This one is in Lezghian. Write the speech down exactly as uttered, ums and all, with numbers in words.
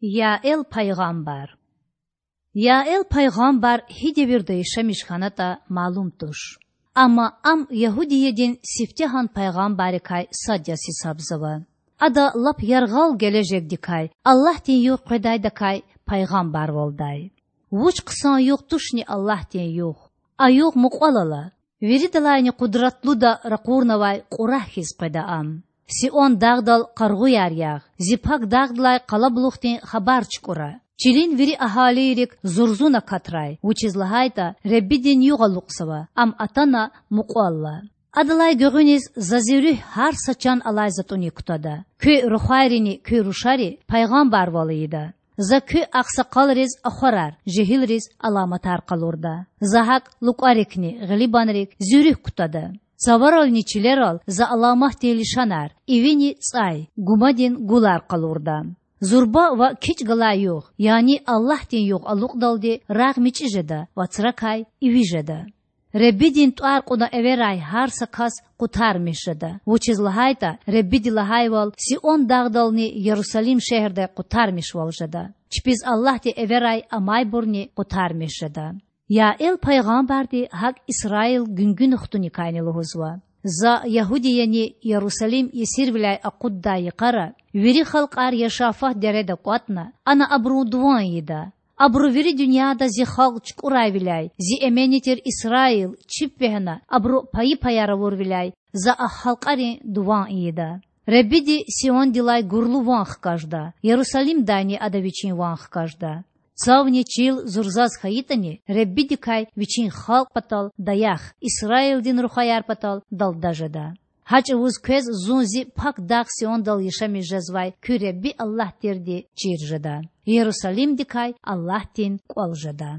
Яэл пайгъамбар. Яэл пайгъамбар гьи девирда яшамиш хьанатІа малум туш. Амма ам Ягьудиядин сифтегьан пайгъамбаррикай сад яз гьисабзава. Ада лап яргъал гележегдикай, Аллагьдин югъ къведайдакай пайгъамбарвалдай. Вуч хъсан югъ тушни Аллагьдин югъ! А югъ мукьвал ала. Виридалайни къудратлуда ракъурнавай кьурагь хьиз къведа ам. Сион дагъдал къаргъуяр ягъ, зи пак дагъдилай къалабулухдин хабар чукІура. Чилин вири агьалийрик зурзун акатрай, вучиз лагьайтІа Худадин югъ алукьзава, ам атана мукьвалла. Адалай гуьгъуьниз За Зи Руьгь гьар са чан алай затІуник кутада. Куь рухвайрини куь рушари пайгъамбарвал ийида. За куь агъсакъалриз ахварар, жегьилриз аламатар къалурда. За гьакІ лукІарикни гъилибанрик Зи Руьгь кутада. Цаварални чилерал За аламатдин лишанар: ивини цІай, гумадин гулар къалурда. Зурба ва кичІ галай югъ, яни Аллагьдин югъ алукьдалди рагъ мичІи жеда, вацракай иви жеда. Худадин тІвар кьуна эверай гьар са кас къутармиш жеда, вучиз лагьайтІа Худadi лагьайвал Сион дагъдални Ярусалим шегьердай къутармишвал жеда. Чпиз Аллагьди эверай амайбурни къутармиш жеда. Яэл пайгъамбарди гьакІ Исраил гуьнгуьна хтуникайни лугьузва: За Ягьудияни Ярусалим есирвиляй акъуддай йикъара вири халкьар Яшафат дереда кІватІна, ана абурун дуван ийида. Абуру вири дуьньяда Зи халкь чукІурайвиляй, Зи эменни тир Исраил чип вегьена, абуру пайи-паяр авурвиляй За а халкьарин дуван ийида. Худadi Сиондилай гурлу ван хкажда, Ярусалимдайни Ада Вичин ван хкажда. Цавни чил зурзаз хьайитІани, Худадикай Вичин халкь патал даях, Исраилдин рухваяр патал далда жеда. Гьа чІавуз квез Зун Зи пак дагъ Сиондал яшамиш жезвай куь Худadi Аллагь тирди чир жеда, Ярусалимдикай Аллагьдин кІвал жеда.